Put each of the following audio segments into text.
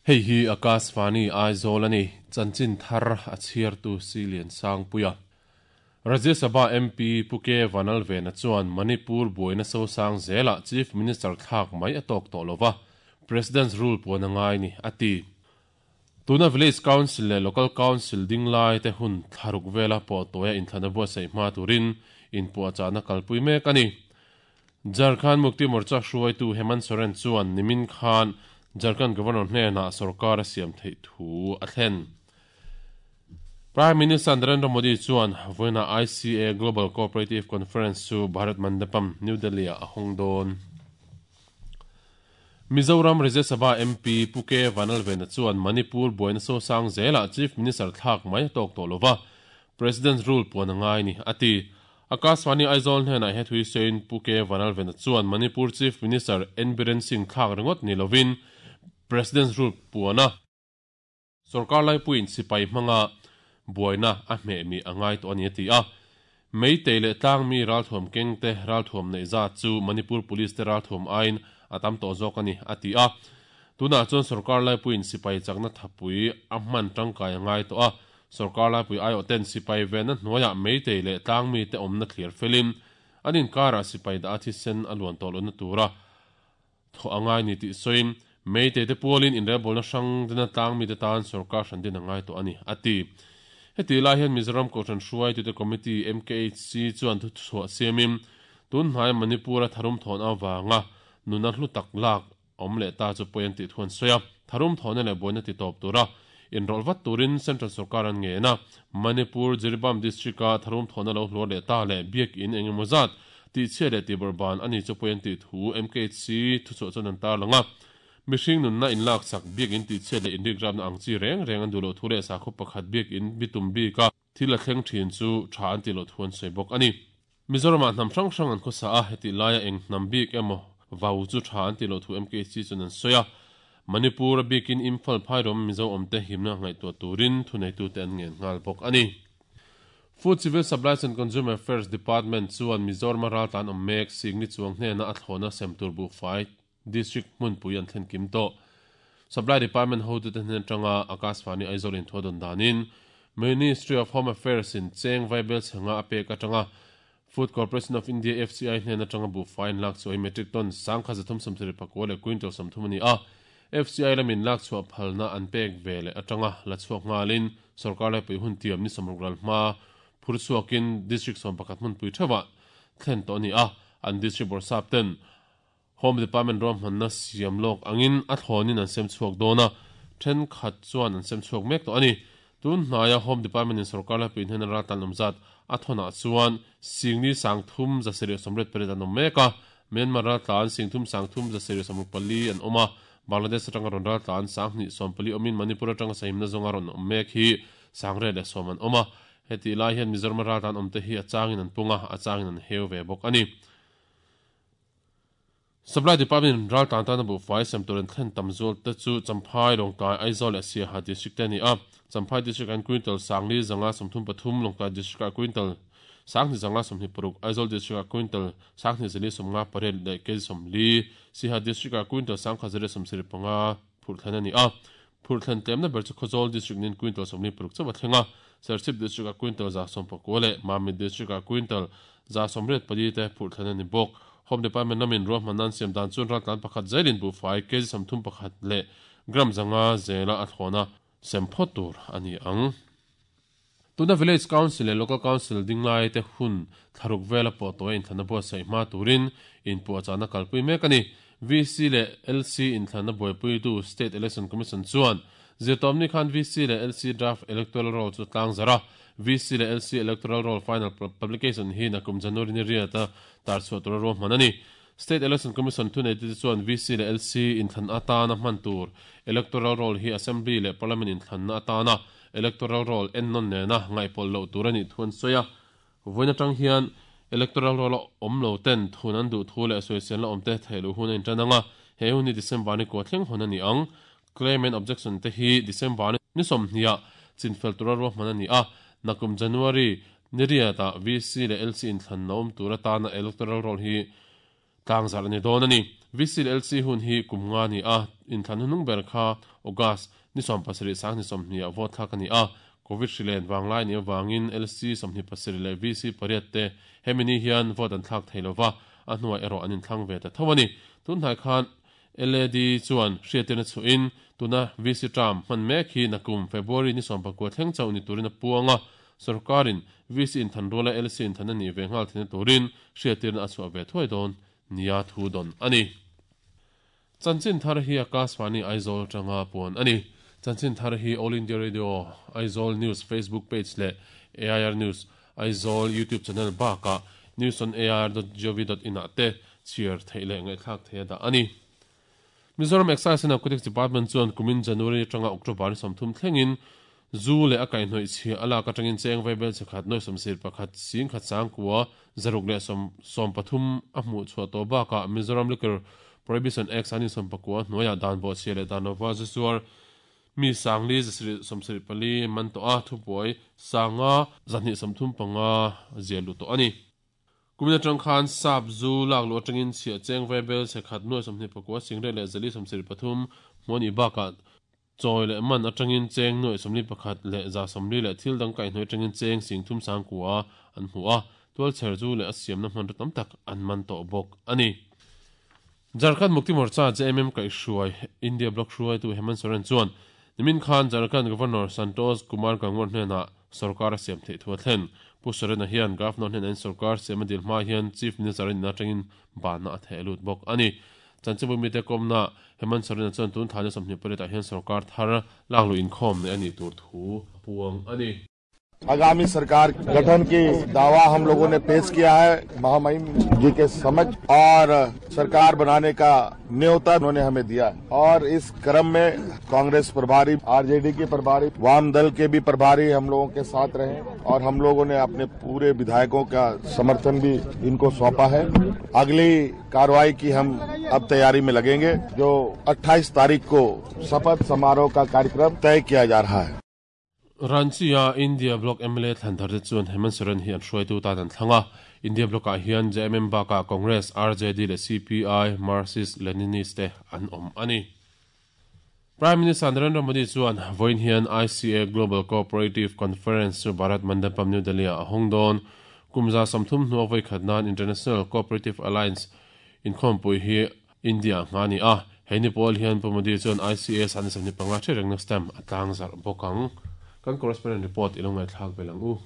Hei hi Akashvani Aizawl a ni, chanchin thar a chhiartu Silian Sangpuia. Rajya Sabha MP Pu K Vanlalvena chuan Manipur buaina sosang zelah Chief Minister thlak mai a tawk tawh lova, President's Rule puan a ngai ni, a ti. Tuna Village Council leh Local Council ding lai te hun thlaruk vela pawh tawia inthlana buatsaih hma turin inpuahchahna kalpui mek a ni. Jharkhand Mukti Morcha hruaitu Hemant Soren chuan nimin khan Jharkhand Governor hnenah sorkar a siam theih thu a thlen. Prime Minister Narendra Modi chuan vawiina ICA Global Cooperative Conference chu Bharat Mandapam, New Delhi-ah a hawng dawn. Mizoram Rajya Sabha MP Pu K Vanlalvena chuan Manipur buaina sosang zelah Chief Minister thlak mai a tawk tawh lova, President's Rule puan a ngai ni, a ti. Akashvani Aizawl hnenah he thui sawiin Pu K Vanlalvena chuan Manipur Chief Minister N Biren Singh thlak ringawt ni lovin President's Rule puan a Sorkar laipuiin sipai hmanga buaina a hmeh mi a ngai tawh a ni a ti a. Meitei leh tlangmi ralthuam kengte ralthuam neih zat chu Manipur Police te ralthuam aiin a tam tawh zawk a ni a ti a. Tunah chuan sorkar laipuiin sipai chakna thapui a hman tangkai a ngai tawh a. Sorkar laipui aiawhten sipai venna hnuaiah meitei leh tlangmi te awmna thlir felin an inkarah sipai dah a thisen a luan tawh lohna tura Thawh a ngai ni tih sawiin, Meitei te pualin inrelbawlna hrang dena tlang mite tan sorkar hran din a ngai tawh a ni, a ti. Heti lai hian Mizoram Kohhran Hruaitute Committee, MKHC, chuan thuchhuah siamin, tun hnaia Manipur-a tharum thawn avanga nuna hlu tak lak awm leh ta chu pawi an tih thu an sawi a. Tharum thawhna leh buaina ti tawp tura inrawlh vat turin Central sorkar an ngen a. Manipur, Jiribam District-a tharum thawhna lo hluar leh ta leh biakinn eng emaw zat Tihchhia leh tihbawrhban a ni chu pawi an tih thu MKHC thuchhuah chuan an tarlang a. Mihring nunna inlaksak, biakinn tihchhiat leh inrikrapna ang chi reng reng an duh loh thu leh sakhaw pakhat biakinn bitum bika thil a thleng thin chu tha an tih loh thu an sawi bawk a ni. Mizoramah hnam hrang hrang an khawsa a, hetih laia eng hnam bik emaw vau chu tha an tih loh thu MKHC chuan an sawi a. Manipur a bikin Imphal phairawm Mizo awmte himna ngaihtuah turin thuneitute an ngen nghal bawk a ni. Food Civil Supplies and Consumer Affairs Department chuan Mizoram-a raltlan awm mek Singni chuang hnena a thlawhna sem tur buhfai District hmunpui an thlen kim tawh. Supply Department hotute hnen atanga Akashvani Aizawl inthuah dawn danin Ministry of Home Affairs in cheng vaibel chhenga a pek atanga Food Corporation of India, FCI, hnen atanga buhfai an lak chhuah hi metric ton 1374 leh quintal 30 a ni a. FCI lamin lak chhuah phalna an pek ve leh atanga la chhuak nghalin sorkar laipui hun tiam ni 60 ral hma phur chhuakin District 11 hmunpui theuhah thlen tawh a ni a, an District Bawrhsap ten Home Department ruahmanna siam lawk angin a thlawnin an sem chhuak dawn a, thenkhat chuan an sem chhuak mek tawh a ni. Tun hnaia Home Department in sorkar laipui hnena raltlan awm zat a thawnah chuan Singni 30 728 an awm mek a, Myanmar raltlan 30 3 764 an awm a, Bangladesh atanga rawn raltlan 2 40 awmin Manipur atanga sahimna zawnga rawn awm mek hi 110 an awm a. Hetih lai hian Mizoram-a raltlan awmte hi a changin an pung a, a changin an heu ve bawk a ni. Supply Department in raltlan tana buhfai sem tur an thlen tam zual te chu Champhai, Lawngtlai, Aizawl leh Siaha District te a ni a. Champhai District ah hian quintal 4 533, Lawngtlai District ah quintal 2 526, Aizawl District ah quintal 2 058 leh kg 40, Siaha District ah quintal 1 175 phurh thlen a ni a. Phurh thlen tlemna ber chu Khawzawl District niin quintal 46 chauh a thleng a, Serchhip District ah quintal 119 leh Mamit District ah quintal 184 te phurh thlen a ni bawk. Home Department lamin ruahmanna an siam dan chuan raltlan pakhat zelin buhfai kg 31 leh gram 5 zela a thlawna sem phawt tur a ni ang. Tuna Village Council leh Local Council ding lai te hun thlaruk vela pawh tawia inthlanna buatsaih hma turin inpuahchahna kalpui mek a ni. VC leh LC inthlanna buaipuitu State Election Commission chuan zirtawpni khan VC leh LC Draft Electoral Roll chu tlang zarh a, VC leh LC Electoral Roll Final Publication hi nakum January ni riata tarchhuah tura ruahman a ni. State Election Commission thuneitute chuan VC leh LC inthlan atana hman tur Electoral Roll hi Assembly leh Parliament inthlanna atana Electoral Roll ennawn nena ngaihpawlh loh tur a nih thu an sawi a. Vawiin atang hian Electoral Roll a awm lo ten thun an duh thu leh sawiselna awmte theih loh hun a intan ang a, he hun hi December ni kua thleng hawn a ni ang. Claim and Objection te hi December ni 20 ah chinfel tura ruahman a ni a, nakum January ni riatah VC leh LC inthlanna awm tur atana Electoral Roll hi tlangzarh a ni dawn a ni. VC leh LC hun hi kum nga a ni a, inthlan hnuhnung ber kha August ni 70 20 ah vote thlak a ni a, Covid hri len vanglai nih avangin LC 27 leh VC pariat te hemi ni hian vote an thlak thei lova, a hnuah erawh an inthlang ve ta tho a ni. Tunhnai khan LAD chuan hriattirna chhuahin tuna VC term hman mek hi nakum February ni 19 thleng chauh ni turin a puang a, sorkarin VC inthan ruala LC inthan a nih ve nghal theihna turin hriattirna a chhuah ve thuai dawn nia thu dawn a ni. Chanchin thar hi Akashvani Aizawl atanga puan a ni. Chanchin thar hi All India Radio Aizawl News Facebook page leh AIR News Aizawl YouTube channel bakah newsonair.gov.in ah te chhiar theih leh ngaihthlak theih a dah a ni. Mizoram Excise and Narcotics Department chuan kumin January atanga October ni 30 thlengin zu leh a kaihhnawih chhia a lak atangin cheng vaibel chhe khat nuai sawmsir pakhat sing khat sangkua zaruk leh 33 a hmuh chhuah tawh bakah Mizoram Liquor Prohibition Act sangni 19 hnuaiah dan bawhchhia leh dan lova zu zuar mi sangli zasarih 74 man tawh a, thubuai sanga 235 ziah luh tawh a ni. Kumin atang khan sap zu lak luh atangin chhiah cheng vaibel chhe khat nuai 29 singret leh zali 73 hmuh a nih bakah chawi leh man atangin cheng nuai 41 leh za 40 leh thil dang kaihhnawih atangin cheng sing thum sangkua an hmu a, tualchher zu leh a siamna hmanraw tam tak an man tawh bawk a ni. Jharkhand Mukti Morcha JMM kaihhruai India Bloc hruaitu Hemant Soren chuan nimin khan Jharkhand Governor Santosh Kumar Gangwar hnenah sorkar a siam theih thu a thlen. Pu Soren-a hian Governor hnenah in sorkar siam a dil hma hian Chief Minister a nihna atangin banna a theh lut bawk a ni. Chanchinbu mite kawmna Hemant Soren-a chuan tun thla ni 28 ah hian sorkar thar lakluh inkhawm neih a nih tur thu a puang a ni. आगामी सरकार गठन की दावा हम लोगों ने पेश किया है महामहिम जी के समक्ष और सरकार बनाने का न्योता उन्होंने हमें दिया है और इस क्रम में कांग्रेस प्रभारी, आरजेडी के प्रभारी, वाम दल के भी प्रभारी हम लोगों के साथ रहे और हम लोगों ने अपने पूरे विधायकों का समर्थन भी इनको सौंपा है। अगली कार्रवाई की हम अब तैयारी में लगेंगे, जो 28 तारीख को शपथ समारोह का कार्यक्रम तय किया जा रहा है। Ranchi-a India Bloc mla thlan tharte chuan Hemant Soren hi an hruaitu tan an thlang a. India Bloc-ah hian JMM bakah Congress, RJD leh CPI, Marxist Leninist te an awm a ni. Prime Minister Narendra Modi chuan vawiin hian ICA Global Cooperative Conference chu Bharat Mandapam, New Delhi-ah a hawng dawn. Kum 30 hnua vawi khat nan International Cooperative Alliance inkhawmpui hi India hma a ni a, hei ni pawl hian Pu Modi chuan ICA sahni 25 hre rengna stamp a tlang zarh bawk ang. Kan correspondent report i lo ngaihthlak belh ang u.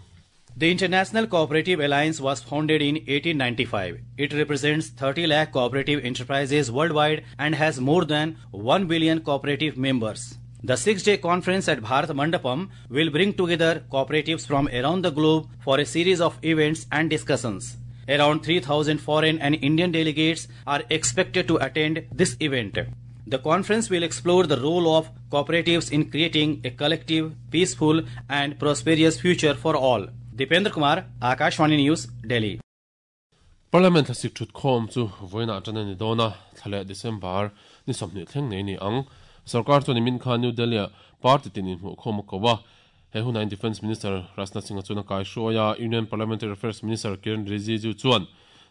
The International Cooperative Alliance was founded in 1895. It represents 30 lakh cooperative enterprises worldwide and has more than 1 billion cooperative members. The 6-day conference at Bharat Mandapam will bring together cooperatives from around the globe for a series of events and discussions. Around 3,000 foreign and Indian delegates are expected to attend this event. The conference will explore the role of cooperatives in creating a collective, peaceful and prosperous future for all. Dipendra Kumar, Akashvani News, Delhi. Parliament thlasik thutkhawm chu vawiinah tan a ni dawn a, thla leh December ni 20 thleng nei a ni ang. Sorkar chuan nimin khan New Delhi-ah party tin inhmuhkhawm a ko a. He hunain Defence Minister Rajnath Singh-a chuan a kaihruai a, Union Parliamentary Affairs Minister Kiren Rijiju chuan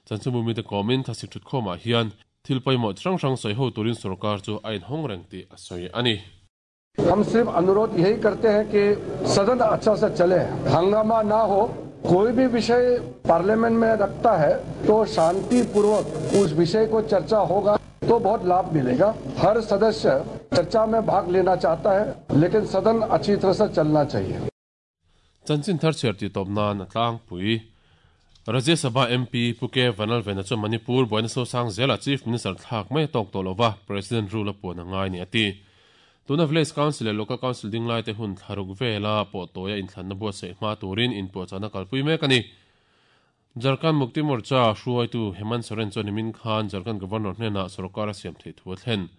chanchinbu mite kawmin thlasik thutkhawmah hian thil pawimawh chi hrang hrang sawi ho turin sorkar chu a inhawng reng tih a sawi a ni. हम सिर्फ अनुरोध यही करते हैं कि सदन अच्छा से चले, हंगामा ना हो। कोई भी विषय पार्लियामेंट में रखता है तो शांतिपूर्वक उस विषय को चर्चा होगा तो बहुत लाभ मिलेगा। हर सदस्य चर्चा में भाग लेना चाहता है, लेकिन सदन अच्छी तरह से चलना चाहिए। Chanchin thar chhiar tih tawp nan a tlangpui. Rajya Sabha MP Pu K Vanlalvena chuan Manipur buaina sosang zelah Chief Minister thlak mai a tawk tawh lova, President rule a puan a ngai ni a ti. Tuna Village Council leh Local Council ding laite hun thlaruk vela pawh tawia inthlanna buatsaih hma turin inpuahchahna kalpui mek a ni. Jharkhand Mukti Morcha hruaitu Hemant Soren chuan nimin khan Jharkhand Governor hnenah sorkar a siam theih thu a thlen.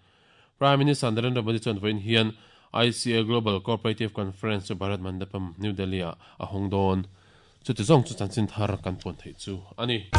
Prime Minister Narendra Modi chuan vawiin hian ICA Global Cooperative Conference chu Bharat Mandapam, New Delhi-ah a hawng dawn. Chuti zawng chu chanchin thar kan puan theih chu a ni.